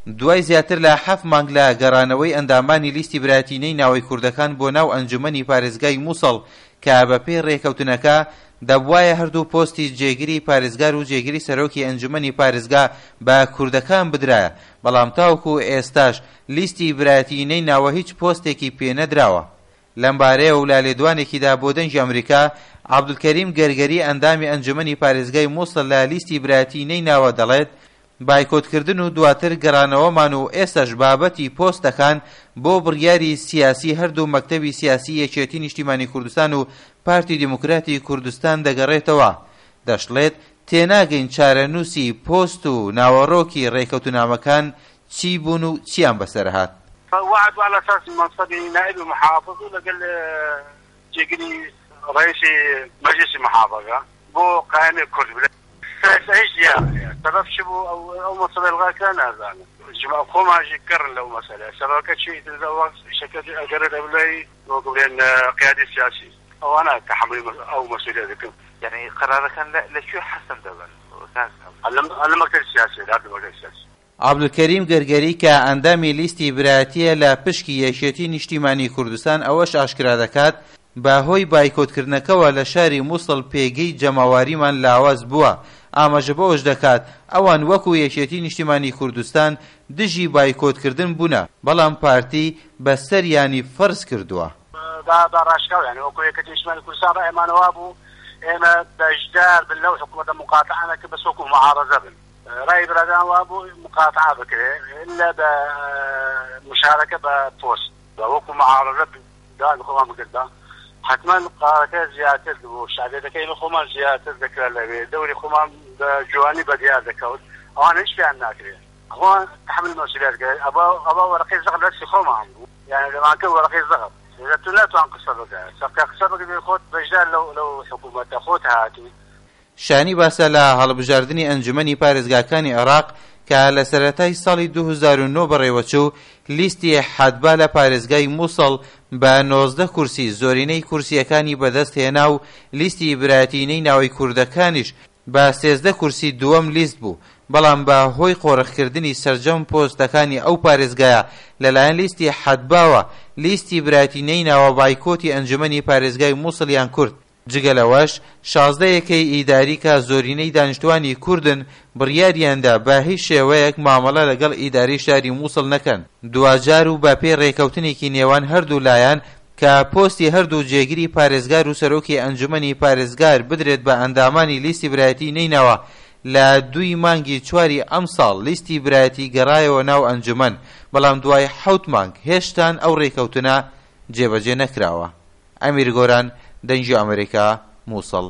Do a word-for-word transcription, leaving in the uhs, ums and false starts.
دوای زیاتر لە حەفت مانگ لە گەڕانەوەی ئەندامانی لیستی برایەتی نەینەوای کوردەکان بۆ ناو ئەنجومەنی پارێزگای موسڵ کە بەپێی ڕێکەوتنەکە دەبوایە هەردوو پۆستی جێگری پارێزگار و جێگری سەرۆکی ئەنجومەنی پارێزگا بە کوردەکان بدرایە، بەڵام تاوەکو ئێستاش لیستی برایەتی نەینەوا هیچ پۆستێکی پێنەدراوە. لەمبارەیەوە لە لێدوانێکیدا بۆ دەنگی ئەمریکا، عەبدولکەریم گەرگەری ئەندامی ئەنجومەنی پارێزگای موسڵ لە لیستی برایەتی نەینەوا دەڵێت بایکۆتکردن و دواتر گەڕانەوەمان و ئێستاش بابەتی پۆستەکان بۆ بڕیاری سیاسی هەردوو مەکتەبی سیاسی یەکێتی نیشتیمانی کوردستان و پارتی دیموکراتی کوردستان دەگەڕێتەوە. دەشڵێت تێناگەین چارەنووسی پۆست و ناوەڕۆکی ڕێکەوتنامەکان چی بوون و چیان بەسەرهات. وعد على اساس منصبي نائب محافظ ولقل جێگری رئيسي مجلس المحافظه بو قائمه كرد هیچ دیار سبب چی بوو ئەو ئەو مەسەلە الغا کرا نازانم. جماعة خۆمان ژی کڕن لەو مەسەلە سەبەکە چی شەکە ئەگەرە لەبلای وەکو بڵێن قیادی سیاسی ئەوانە تحمل ئەو مەسئولیە دەکەن. يعني قرارەکان لە کوێ حەسم دەبن؟ لە مەکتەب سیاسی، لە مەکتەب سیاسی. عەبدولکەریم گەرگەری کە ئەندامی لیستی برایەتیە لە پشکی یەکێتی نیشتیمانی کوردستان ئەوەش ئاشکرا دەکات بە هۆی بایکۆتکردنەکەوە لە شاری موسڵ پێگەی جەماواریمان لاواز بووە. ئاماژە بەوەش دەکات ئەوان وەکو یەکێتی نیشتیمانی کوردستان دژی بایکۆتکردن بوونە، بەڵام پارتی بەسەریانی فەرز کردووە. بە ڕاشکاو یعنی وەکو یەکێتی نیشتیمانی کوردستان ڕایمانەوە بوو ئێمە بەشدار بن لەو حکوومەتە مقاتعانە کە بەس وەکو معارەزە بن. ڕای برادان وابوو مقاتعە بکرێ إلا بە مشاركة بە پۆست وەکو معارەزە داوای خۆمان بکردا. حتما قرارەکە زیاتر بوو، شعبیەتەکەی ئێمە خۆمان زیاتر دەکرا لەوێ، دەوری خۆمان بە جوانی بەدیار دەکەوت. ئەوان هیچ پێیان ناکرێت، خۆمان تحمل مەسئولیت کرد. ئەبا ئەبا وەرەقەی زەغب لەستی خۆمان بوو، یعنی لەمانکە وەرەقەی زەغب إذا تو ناتوان قسە بکە، سەقا قسە بکە خۆت بەشدار لەو لەو حکوومەتە خۆت هاتووی. شانی باسە لە هەڵبژاردنی ئەنجومەنی پارێزگاکانی عێراق کە لە سەرەتای ساڵی دوو هەزار و نۆ بەڕێوەچوو، لیستی حەدبا لە پارێزگای موسڵ بە نۆزدە کورسی زۆرینەی کورسیەکانی بەدەست هێنا و لیستی برایەتی نەینەوای کوردەکانیش بە سێزدە کورسی دووەم لیست بوو، بەڵام بە هۆی قۆرخکردنی سەرجەم پۆستەکانی ئەو پارێزگایە لەلایەن لیستی حەدباوە لیستی برایەتی نەینەوا بایکۆتی ئەنجومەنی پارێزگای موسڵیان کرد. جگە لەوەش شازدە یەکەی ئیداری کە زۆرینەی دانیشتوانی کوردن بڕیاریاندا بە هیچ شێوەیەک مامەڵە لەگەڵ ئیداری شاری موسڵ نەکەن. دواجار و بە پێی ڕێکەوتنێکی نێوان هەردوو لایەن کە پۆستی هەردوو جێگری پارێزگار و سەرۆکی ئەنجومەنی پارێزگار بدرێت بە ئەندامانی لیستی برایەتی نەینەوا، لە دووی مانگی چواری ئەمساڵ لیستی برایەتی گەڕایەوە ناو ئەنجومەن، بەڵام دوای حەوت مانگ هێشتان ئەو ڕێکەوتنە جێبەجێ نەکراوە. ئەمیر گۆران، دەنگی ئەمریکا، موسڵ.